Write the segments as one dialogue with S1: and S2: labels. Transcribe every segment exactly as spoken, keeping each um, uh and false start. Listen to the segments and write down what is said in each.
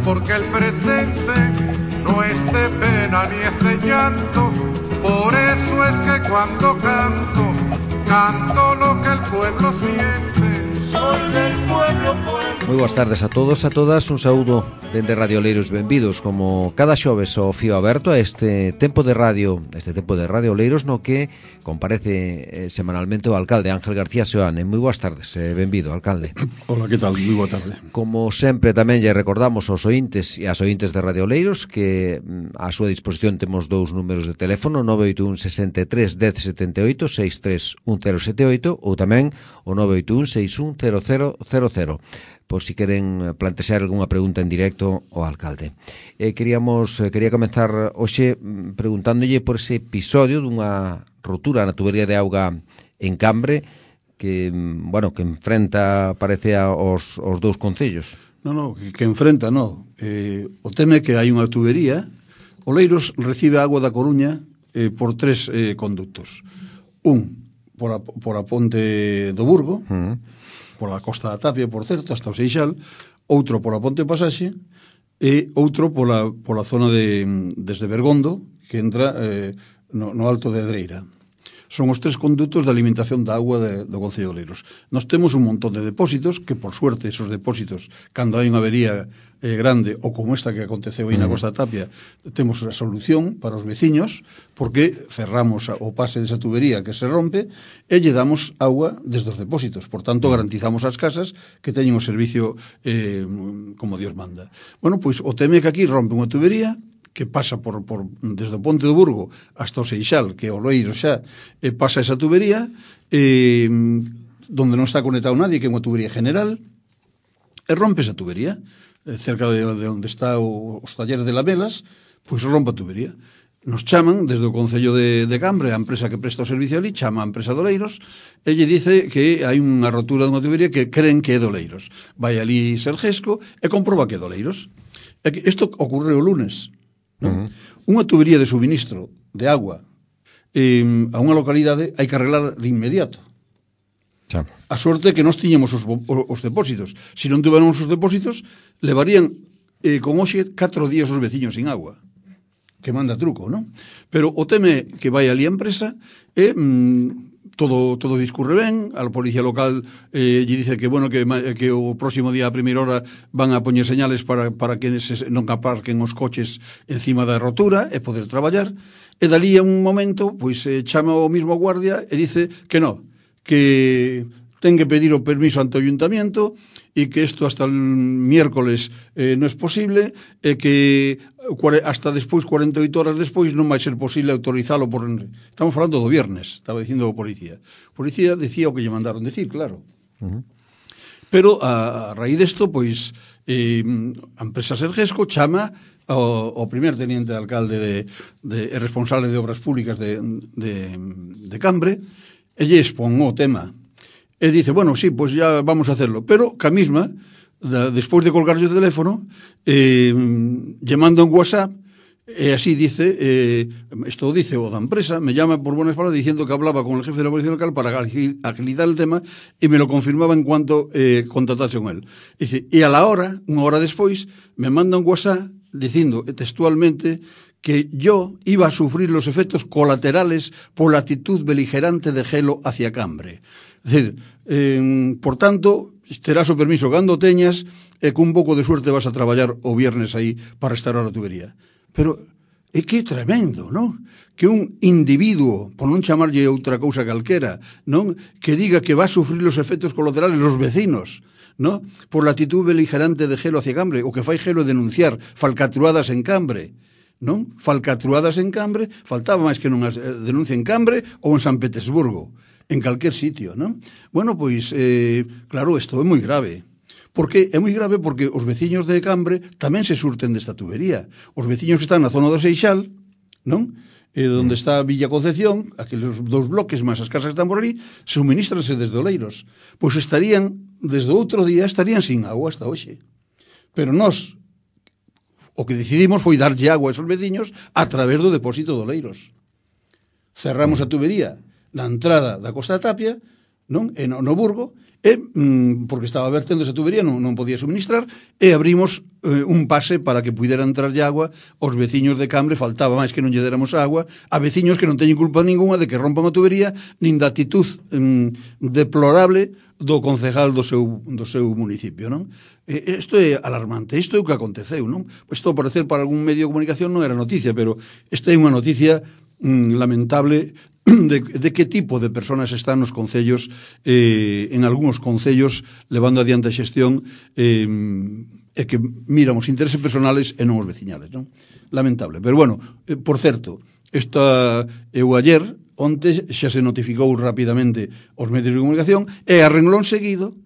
S1: porque el presente no es de pena ni es de llanto. Por eso es que cuando canto, canto lo que el pueblo siente. Soy del pueblo, pueblo.
S2: Moi boas tardes a todos, a todas. Un saúdo dende Radio Oleiros. Benvidos como cada xoves ao fío aberto a este tempo de radio, este tempo de Radio Oleiros, no que comparece eh, semanalmente o alcalde Ángel García Seoane. Moi boas tardes, eh, benvido, alcalde.
S3: Hola, que tal? Moi boa tarde.
S2: Como sempre tamén lle recordamos aos ointes e ás ointes de Radio Oleiros que a súa disposición temos dous números de teléfono, nove oito un, sesenta e tres, dez setenta e oito, sesenta e tres, un cero sete oito, ou tamén o nove oito un, sesenta e un, cero cero cero cero. Por si queren plantexar algunha pregunta en directo ao alcalde. Eh, queríamos, eh, quería comenzar hoxe preguntándolle por ese episodio dunha rotura na tubería de auga en Cambre que, bueno, que enfrenta, parece, aos, aos dous concellos.
S3: Non, non, que, que enfrenta, non. Eh, o teme que hai unha tubería. Oleiros recibe agua da Coruña eh, por tres eh, conductos. Un, por a, por a ponte do Burgo, uh-huh. por a Costa da Tapia, por certo, hasta o Seixal, outro por a Ponte Pasaxe e outro pola, pola zona de desde Bergondo, que entra eh, no, no Alto de Edreira. Son os tres condutos de alimentación da agua de, do Concello de Oleiros. Nós temos un montón de depósitos, que por suerte esos depósitos, cando hai unha avería eh, grande, ou como esta que aconteceu aí na Costa da Tapia, temos a solución para os veciños, porque cerramos o pase desa tubería que se rompe e lle damos agua desde os depósitos. Por tanto, garantizamos as casas que teñen o servicio eh, como Dios manda. Bueno, pois o teme que aquí rompe unha tubería que pasa por, por desde o Ponte do Burgo hasta o Seixal, que é o Oleiros xa, e pasa esa tubería, eh, donde non está conectado nadie, que é unha tubería general, e rompe esa tubería, eh, cerca de, de onde está o, os talleres de Lamelas, pois rompe a tubería. Nos chaman desde o Concello de, de Cambre, a empresa que presta o servicio ali, chama a empresa de Oleiros, e lle dice que hai unha rotura dunha tubería que creen que é de Oleiros. Vai ali Sergesco e comproba que é de Oleiros. E que isto ocorreu o lunes. ¿No? Uh-huh. Unha tubería de suministro de agua eh, a unha localidade hai que arreglar de inmediato.
S2: Chá.
S3: A sorte que nós tiñamos os, os depósitos. Se non tuveron os depósitos, levarían eh, con hoxe catro días os veciños sin agua. Que manda truco, non? Pero o teme que vai ali a empresa e mm, todo todo discurre ben, a policía local eh, lle dice que bueno que, que o próximo día a primeira hora van a poñer señales para, para que se, non aparquen os coches encima da rotura e poder traballar, e dali a un momento pois eh, chama o mismo guardia e dice que no, que ten que pedir o permiso ante o ayuntamiento e que isto hasta el miércoles eh, non é posible e que hasta despois, cuarenta e oito horas despois, non vai ser posible autorizalo por... Estamos falando do viernes, estaba dicindo o policía. O policía decía o que lle mandaron decir, claro. Uh-huh. Pero a, a raíz desto, pois, eh, a empresa Sergesco chama ao, ao primer teniente de alcalde de, de, de responsable de obras públicas de, de, de Cambre e lle expón o tema. E dice, bueno, sí, pues ya vamos a hacerlo. Pero, ca misma, da, despois de colgar o teléfono, eh, lle manda un WhatsApp, e así dice, eh, esto dice o da empresa, me llama por buenas palabras diciendo que hablaba con el jefe de la policía local para agilizar el tema y me lo confirmaba en cuanto eh, contactase con él. Dice, y a la hora, unha hora despois, me manda un WhatsApp diciendo textualmente que yo iba a sufrir los efectos colaterales por la actitud beligerante de Gelo hacia Cambre. Es decir, eh, por tanto, terás o permiso cando teñas e cun pouco de suerte vas a traballar o viernes aí para restaurar a tubería. Pero é que é tremendo, non? Que un individuo, por non chamarlle outra cousa calquera, non? Que diga que va a sufrir los efectos colaterales los vecinos, non? Por la actitud beligerante de Gelo hacia Cambre, o que fai Gelo denunciar falcatruadas en Cambre, non? Falcatruadas en Cambre, faltaba máis que non as denuncia en Cambre ou en San Petersburgo, en calquer sitio, non? Bueno, pois, eh, claro, isto é moi grave. Porque é moi grave porque os veciños de Cambre tamén se surten desta tubería. Os veciños que están na zona do Seixal, non? Eh, onde está Villa Concepción, aqueles dous bloques máis as casas que están por ali, suministranse desde Oleiros. Pois estarían, desde outro día, estarían sin agua hasta hoxe. Pero nós, o que decidimos foi darlle agua a esos veciños a través do depósito de Oleiros. Cerramos a tubería na entrada da Costa da Tapia, non? E no, no Burgo, e, mm, porque estaba vertendo esa tubería, non, non podía suministrar, e abrimos eh, un pase para que pudera entrar agua aos veciños de Cambre, faltaba máis que non lle déramos agua, a veciños que non teñen culpa ninguna de que rompan a tubería, nin da actitud mm, deplorable do concejal do seu, do seu municipio, non? Isto é alarmante, isto é o que aconteceu, non? Isto, por parecer, para algún medio de comunicación non era noticia, pero esta é unha noticia mm, lamentable de, de que tipo de personas están nos concellos, eh, en algúns concellos, levando adiante a xestión eh, e que miran os intereses personales e non os veciñales, non? Lamentable. Pero, bueno, eh, por certo, esta, eu ayer, onte, xa se notificou rapidamente os medios de comunicación, e a renglón seguido,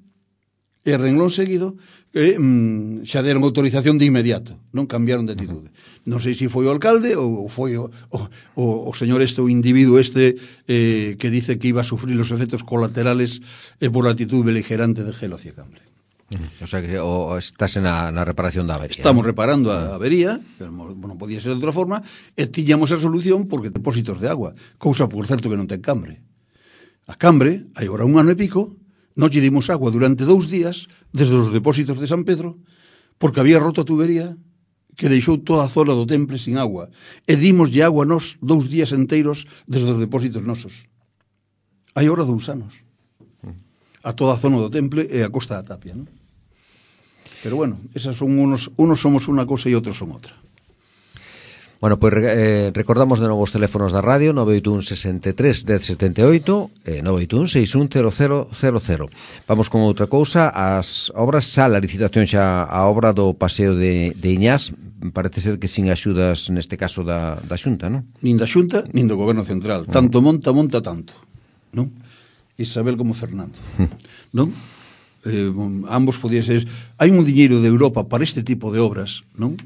S3: e a renglón seguido, que mm, xa deron autorización de inmediato, non cambiaron de atitude. Non sei se foi o alcalde ou foi o, o, o señor este, o individuo este eh, que dice que iba a sufrir os efectos colaterales eh, por la actitud beligerante de Gelo hacia Cambre.
S2: O sea que o, estás na, na reparación da avería.
S3: Estamos reparando a avería, pero non podía ser de outra forma, e tiñamos a solución porque depósitos de agua, cousa, por certo, que non ten Cambre. A Cambre, hai ora un ano e pico, non lle dimos agua durante dous días desde os depósitos de San Pedro porque había roto a tubería que deixou toda a zona do Temple sin agua, e dimoslle agua nos dous días enteiros desde os depósitos nosos. Hai ora dous anos a toda a zona do Temple e a Costa da Tapia, non? Pero bueno, esas son unos, unos somos unha cosa e outros son outra.
S2: Bueno, pois pues, eh, recordamos de novo os teléfonos da radio nove oito un sesenta e tres dez setenta e oito e nove oito un seis un cero cero cero cero. Vamos con outra cousa, as obras xa, a licitación xa, a obra do paseo de, de Iñás, parece ser que sin axudas neste caso da, da Xunta, non?
S3: Nin da Xunta, nin do Goberno Central. Tanto monta, monta tanto, non? Isabel como Fernando, non? Eh, ambos podían ser. Hai un diñeiro de Europa para este tipo de obras, non?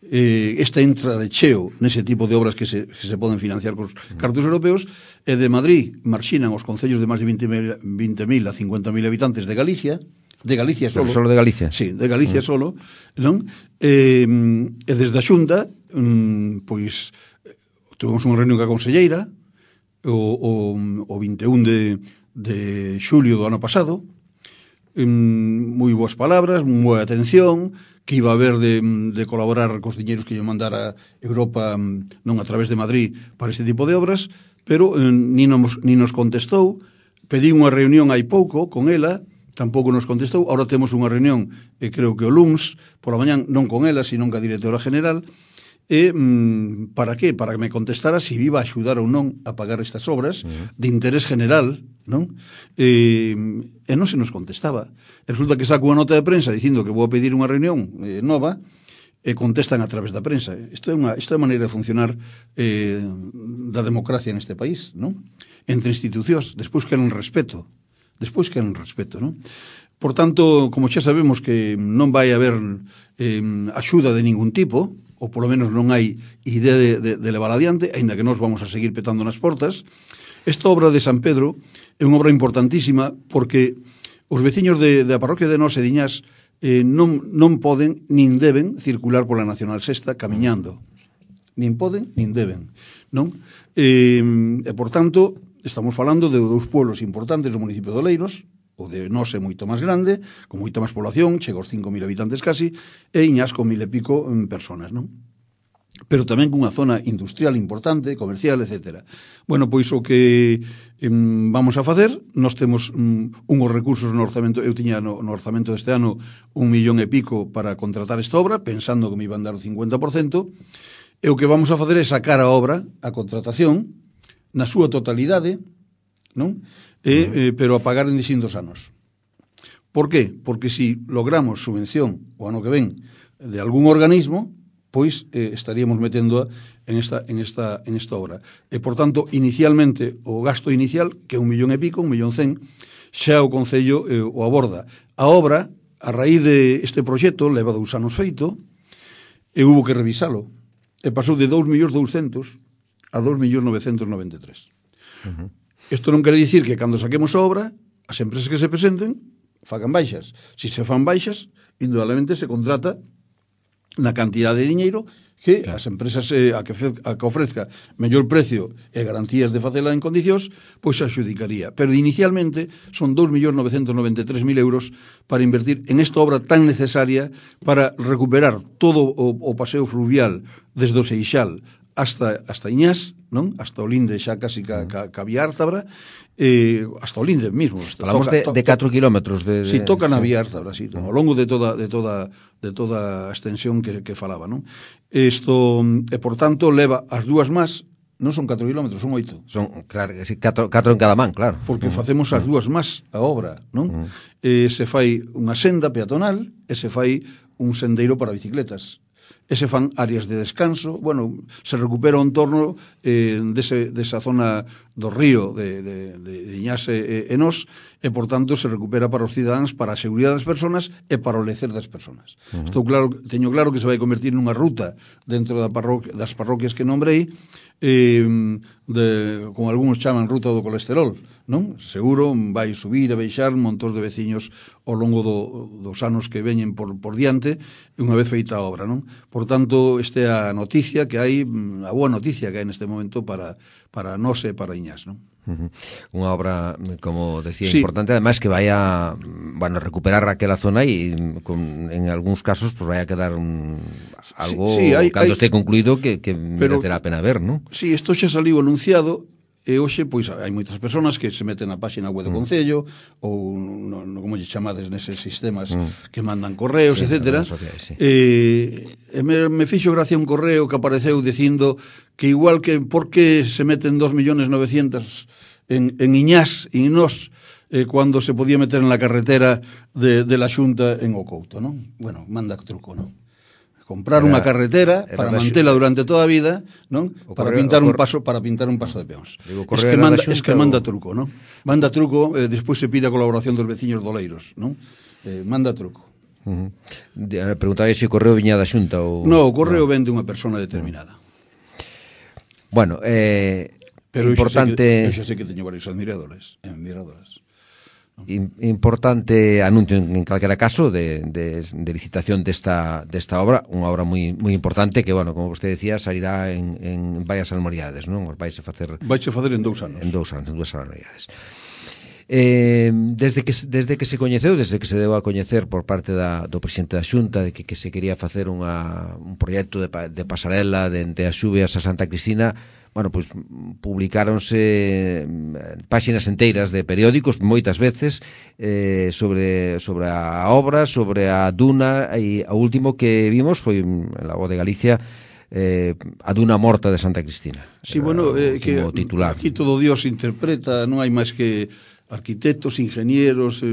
S3: Eh, esta entra de cheo nese tipo de obras que se, que se poden financiar cos cartos europeos, e de Madrid marxinan os concellos de máis de vinte mil a cincuenta mil habitantes de Galicia, de Galicia solo.
S2: Pero solo de Galicia?
S3: Sí, de Galicia mm. solo, non? Eh, e desde a Xunta, mm, pois, tuvemos unha reunión ca conselleira o, o, o vinte e un de, de xulio do ano pasado, moi boas palabras, moi boa atención, que iba a haber de, de colaborar cos diñeiros que lle mandara Europa, non a través de Madrid, para este tipo de obras, pero eh, ni, nos, ni nos contestou. Pedí unha reunión hai pouco con ela, tampouco nos contestou. Ahora temos unha reunión, eh, creo que o luns, por a mañán, non con ela, sino ca directora general, e mm, para que? Para que me contestara se iba a axudar ou non a pagar estas obras uh-huh. de interés general, non? E, e non se nos contestaba. E resulta que saco unha nota de prensa dicindo que vou a pedir unha reunión eh, nova, e contestan a través da prensa. Isto é unha, isto é a maneira de funcionar eh, da democracia neste país, non? Entre institucións, despois queren respeto, despois queren respeto, non? Por tanto, como xa sabemos que non vai haber eh, axuda de ningún tipo, ou polo menos non hai idea de, de, de levar adiante, aínda que nós vamos a seguir petando nas portas, esta obra de San Pedro é unha obra importantísima porque os veciños de, de a parroquia de Nós e Diñás eh, non, non poden nin deben circular pola Nacional Sexta camiñando. Nin poden, nin deben, non? E, e por tanto, estamos falando de dous pueblos importantes do municipio de Oleiros, o de Nós é moito máis grande, con moita máis población, chega aos cinco mil habitantes casi, e Iñás con mil e pico en personas, non? Pero tamén cunha zona industrial importante, comercial, etcétera. Bueno, pois o que em, vamos a facer, nós temos um, unhos recursos no orzamento, eu tiña no, no orzamento deste ano un millón e pico para contratar esta obra, pensando que me iban dar o cincuenta por cento, e o que vamos a facer é sacar a obra, a contratación, na súa totalidade, non? E, eh, pero a pagar en distintos anos. Por qué? Porque si logramos subvención o ano que ven de algún organismo, pois eh, estaríamos metendo en esta, en, esta, en esta obra. E, por tanto, inicialmente, o gasto inicial, que é un millón e pico, un millón cen, xa o Concello eh, o aborda. A obra, a raíz de este proxecto, leva dous anos feito, e hubo que revisalo. E pasou de dous millóns douscentos a dous millóns novecentos noventa e tres. Uh-huh. Isto non quere dicir que cando saquemos a obra, as empresas que se presenten fagan baixas. Si se fan baixas, indudablemente se contrata na cantidad de diñeiro que
S2: claro.
S3: as empresas eh, a, que fe, a que ofrezca mellor precio e garantías de facela en condicións, pois se adxudicaría. Pero inicialmente son dous millóns novecentos noventa e tres mil euros para invertir en esta obra tan necesaria para recuperar todo o, o paseo fluvial desde o Seixal hasta, hasta Iñás, non? Hasta o Linde xa casi ca, ca, ca Vía Ártabra, eh, hasta o Linde mismo.
S2: Falamos
S3: toca,
S2: de,
S3: to,
S2: de catro kilómetros. De, de...
S3: Si, toca na
S2: sí.
S3: Vía Ártabra, si, ao longo de toda, de toda, de toda a extensión que, que falaba, non? Isto, e por tanto, leva as dúas más, non son catro kilómetros, son oito.
S2: Son, claro, sí, catro, catro en cada man, claro.
S3: Porque uh -huh. facemos as dúas más a obra, non? Uh -huh. E se fai unha senda peatonal e se fai un sendeiro para bicicletas. E se fan áreas de descanso, bueno, se recupera o entorno eh, dese, desa zona do río de, de, de Iñás e, e Nós, e, por tanto, se recupera para os cidadáns, para a seguridade das persoas e para o lecer das persoas. Uh -huh. Estou claro, teño claro que se vai convertir nunha ruta dentro da parroquia, das parroquias que nombrei, eh, de, como algúns chaman ruta do colesterol, non? Seguro vai subir e baixar un montón de veciños ao longo do, dos anos que veñen por, por diante, unha vez feita a obra, non? Por tanto, esta é a noticia que hai, a boa noticia que hai neste momento para, para nós e para Iñás, non?
S2: Uh -huh. Unha obra, como decía,
S3: sí.
S2: importante, además que vai a, bueno, recuperar aquela zona e con, en algúns casos pues vai a quedar un, algo,
S3: sí, sí, hai,
S2: cando
S3: hai,
S2: este concluído, que, que
S3: pero,
S2: merecerá a pena ver, non?
S3: Sí, isto xa saliu anunciado. E hoxe, pois, hai moitas persoas que se meten na páxina web do mm. Concello ou, no, no, como lle chamades, neses sistemas mm. que mandan correos, sí, etcétera. Sociais, sí. E, e me, me fixo gracia un correo que apareceu dicindo que igual que por que se meten dos millones novecientos en, en Iñás e Nós eh, cando se podía meter en la carretera de, de la Xunta en Ocouto, non? Bueno, manda truco, non? Comprar era, unha carretera para mantela durante toda a vida, non? Para correo, pintar un paso, para pintar un paso de peóns. Digo, es que manda, es que manda truco, non? Manda truco, eh, despois se pide a colaboración dos veciños doleiros, non? Eh, manda truco.
S2: Uh -huh. Preguntaba se o correo viña da Xunta ou
S3: no, o correo no. vende unha persona determinada.
S2: Bueno, eh
S3: pero
S2: importante,
S3: eu xa sei que teño varios admiradores, admiradoras.
S2: Importante anuncio en calquera caso de, de, de licitación desta, desta obra, unha obra moi moi importante que, bueno, como vostede decía, salirá en, en varias anualidades, non? Vais a facer
S3: Vais a facer en dous anos.
S2: En dous anos, en dúas anualidades. Eh, desde que desde que se coñeceu, desde que se deu a coñecer por parte da, do presidente da Xunta de que, que se quería facer unha, un proxecto de, de pasarela de entre as Xubias a Santa Cristina, bueno, pois publicáronse páxinas enteiras de periódicos moitas veces eh, sobre, sobre a obra, sobre a duna, e o último que vimos foi en la Voz de Galicia, eh, a duna morta de Santa Cristina.
S3: Sí, bueno, eh, que
S2: titular.
S3: Aquí todo Dios interpreta, non hai máis que arquitectos, ingenieros, eh,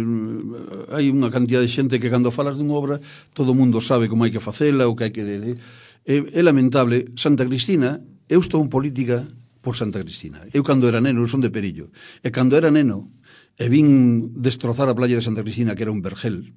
S3: hai unha cantidad de xente que cando falas dunha obra todo o mundo sabe como hai que facela, o que hai que... Eh, é lamentable. Santa Cristina, eu estou en política por Santa Cristina. Eu cando era neno, eu son de Perillo, e cando era neno e vin destrozar a playa de Santa Cristina, que era un vergel,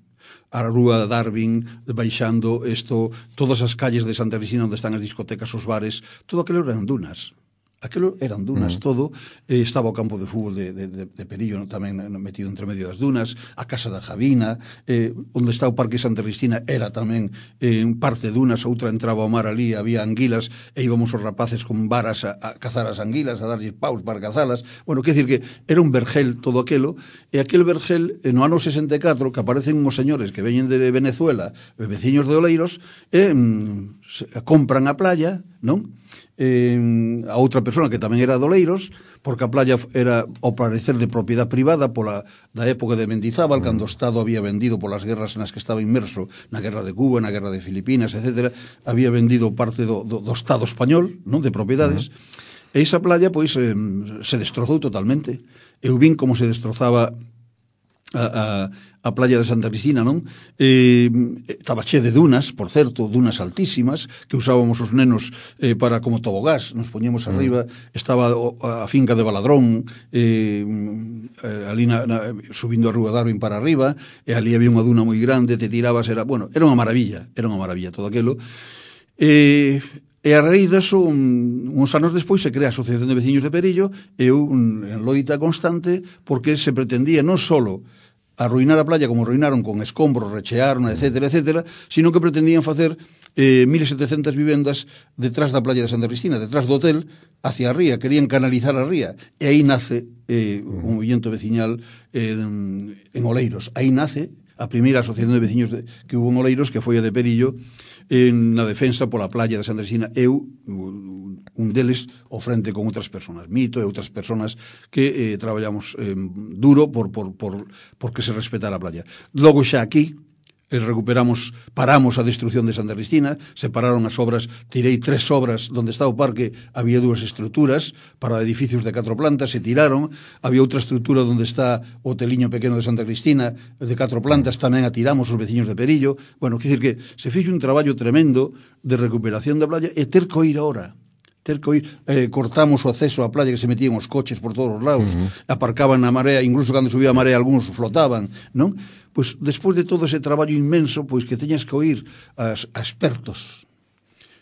S3: a rúa de Darwin, baixando isto, todas as calles de Santa Cristina onde están as discotecas, os bares, todo aquilo eran dunas. Aquilo eran dunas, mm. todo. Eh, estaba o campo de fútbol de, de, de Perillo tamén metido entre medio das dunas, a casa da Javina, eh, onde está o Parque Santa Cristina era tamén eh, parte dunas, outra entraba ao mar ali, había anguilas, e íbamos os rapaces con varas a, a cazar as anguilas, a darlle paus para cazalas. Bueno, quer dicir que era un vergel todo aquelo, e aquel vergel, no ano sesenta e catro, que aparecen uns señores que veñen de Venezuela, veciños de Oleiros, e mm, se, compran a playa, non? Eh, a outra persona que tamén era de Oleiros, porque a playa era ao parecer de propiedade privada pola da época de Mendizábal, mm. cando o Estado había vendido polas guerras nas que estaba inmerso, na guerra de Cuba, na guerra de Filipinas, etcétera, había vendido parte do, do, do Estado español, non, de propiedades, mm. e esa playa, pois, eh, se destrozou totalmente. Eu vin como se destrozaba a, a, a playa de Santa Cristina, non? Eh, estaba che de dunas, por certo, dunas altísimas, que usábamos os nenos eh, para como tobogás, nos poñemos arriba, mm. estaba a finca de Baladrón, eh, ali na, na, subindo a Rúa Darwin para arriba, e ali había unha duna moi grande, te tirabas, era, bueno, era unha maravilla, era unha maravilla todo aquilo. Eh, E a raíz deso, uns anos despois, se crea a Asociación de Veciños de Perillo, e un, en loita constante, porque se pretendía non solo arruinar a playa como arruinaron con escombros, rechearon, etcétera, etcétera, sino que pretendían facer eh, mil setecientas vivendas detrás da playa de Santa Cristina, detrás do hotel, hacia a ría, querían canalizar a ría, e aí nace eh, un movimento veciñal eh, en Oleiros. Aí nace a primeira asociación de veciños de, que hubo en Oleiros, que foi a de Perillo, en, na defensa pola playa de Santa Cristina. Eu, un deles, ao frente con outras persoas, Mito e outras persoas que eh, traballamos eh, duro por, por, por, por que se respetara a playa. Logo xa aquí, eh, recuperamos, paramos a destrucción de Santa Cristina, separaron as obras, tirei tres obras donde está o parque, había dúas estruturas para edificios de catro plantas, se tiraron, había outra estrutura donde está o hoteliño pequeno de Santa Cristina, de catro plantas, tamén a tiramos os veciños de Perillo. Bueno, quer dicir que se fixo un traballo tremendo de recuperación da playa e ter que ir ahora. ter que ir, eh, cortamos o acceso á playa, que se metían os coches por todos os lados, uh-huh. aparcaban na marea, incluso cando subía a marea algúns flotaban, non? Pois despois de todo ese traballo inmenso, pois que teñas que oír as, a expertos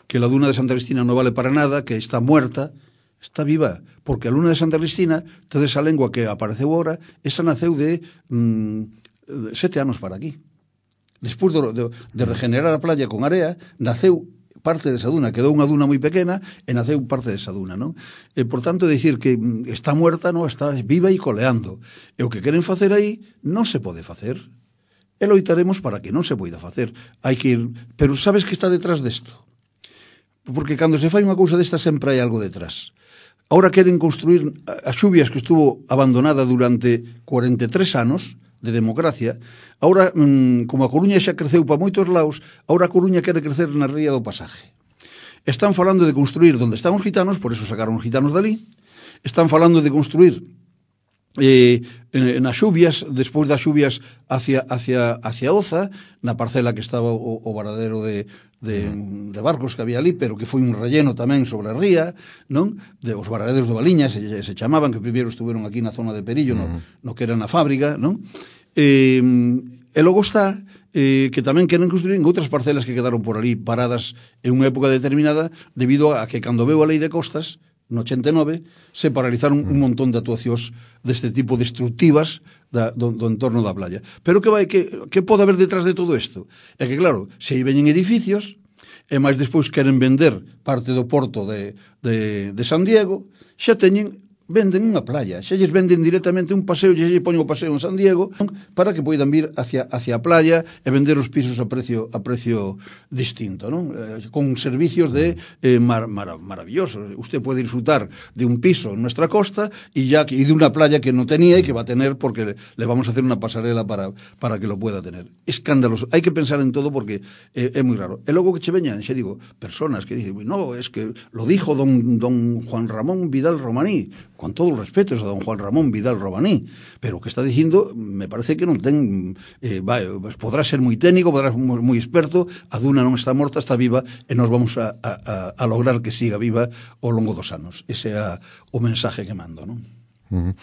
S3: que la duna de Santa Cristina non vale para nada, que está muerta, está viva, porque a luna de Santa Cristina, toda esa lengua que apareceu agora, esa naceu de mm, sete anos para aquí. Despois de, de, de regenerar a playa con area, naceu parte desa duna, quedou unha duna moi pequena e naceu parte desa duna, non? E, por tanto, dicir que está muerta, non, está viva e coleando. E o que queren facer aí non se pode facer. E loitaremos para que non se poida facer. Hai que ir... Pero sabes que está detrás desto? Porque cando se fai unha cousa desta sempre hai algo detrás. Ahora queren construir as xubias que estuvo abandonada durante cuarenta e tres anos de democracia. Ahora, como a Coruña xa creceu para moitos lados, ahora a Coruña quere crecer na ría do Pasaje. Están falando de construir donde están os gitanos, por eso sacaron os gitanos dali. Están falando de construir eh, nas xubias, despois das xubias hacia, hacia, hacia Oza, na parcela que estaba o, o varadero de, de, de barcos que había ali, pero que foi un relleno tamén sobre a ría, non? De os varaderos de Baliñas, se, se chamaban, que primeiro estuveron aquí na zona de Perillo, no, no que era na fábrica, non? Eh, e logo está eh, que tamén queren construir en outras parcelas que quedaron por ali paradas en unha época determinada, debido a que cando veu a lei de costas no ochenta e nove, se paralizaron un montón de actuacións deste tipo destructivas da, do, do entorno da playa. Pero que vai, que, que pode haber detrás de todo isto? É que, claro, se aí veñen edificios, e máis despois queren vender parte do porto de, de, de San Diego, xa teñen, venden unha playa, xa lles venden directamente un paseo, xa lles poñen o paseo en San Diego, para que poidan vir hacia, hacia a playa e vender os pisos a precio a precio distinto, non? Eh, con servicios de eh, mar, mar, maravillosos. Usted pode disfrutar de un piso en nuestra costa e ya y de una playa que no tenía y que va a tener porque le, le vamos a hacer una pasarela para, para que lo pueda tener. Escandaloso. Hai que pensar en todo porque eh, é moi raro. E logo que che veñan, xa digo, personas que dicen, no, es que lo dijo don, don Juan Ramón Vidal Romaní, con todo o respeto a don Juan Ramón Vidal Romaní, pero o que está dicindo me parece que non ten eh, vai, pues podrá ser moi técnico, podrá ser moi, moi experto, a duna non está morta, está viva e nos vamos a, a, a lograr que siga viva ao longo dos anos. Ese é o mensaje que mando, non?
S2: Uh-huh.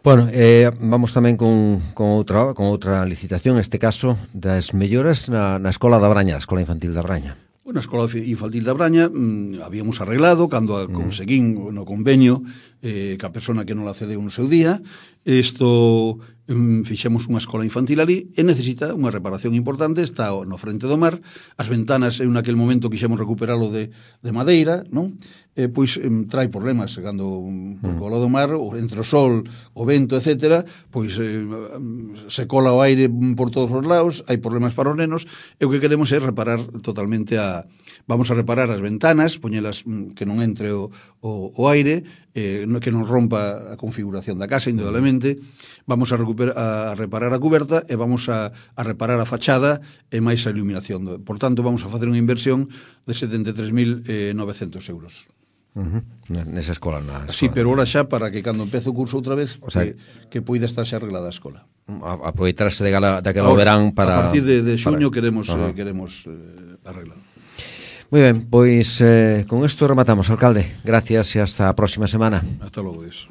S2: Bueno, eh, vamos tamén con, con, outra, con outra licitación, este caso das melloras na, na Escola da Braña, a Escola Infantil da Braña.
S3: Bueno, a Escola Infantil da Braña mmm, habíamos arreglado cando a conseguín no convenio eh, que a persona que non la cedeu no seu día. Isto mmm, fixemos unha escola infantil ali e necesita unha reparación importante, está no frente do mar, as ventanas en aquel momento quixemos recuperalo de, de madeira, non? Eh, pois eh, trai problemas cando por cola do mar, entre o sol, o vento, etcétera, pois eh, se cola o aire por todos os lados, hai problemas para os nenos, e o que queremos é reparar totalmente a... Vamos a reparar as ventanas, poñelas que non entre o, o, o aire, eh, que non rompa a configuración da casa, indudablemente. Vamos a, recuperar, a reparar a cuberta e vamos a, a reparar a fachada e máis a iluminación. Por tanto, vamos a facer unha inversión de setenta e tres mil novecentos euros.
S2: Uh-huh. Nesa escola, na escola.
S3: Sí, pero ahora xa para que cando empece o curso outra vez, o sea, que, que poida estar xa arreglada a escola.
S2: A, aproveitarse de gala, daquela verán para...
S3: A partir de, de xuño para... queremos,
S2: uh-huh.
S3: eh, queremos eh, arreglar.
S2: Moi ben, pois eh, con isto rematamos, alcalde. Gracias e hasta a próxima semana.
S3: Hasta logo, Dios.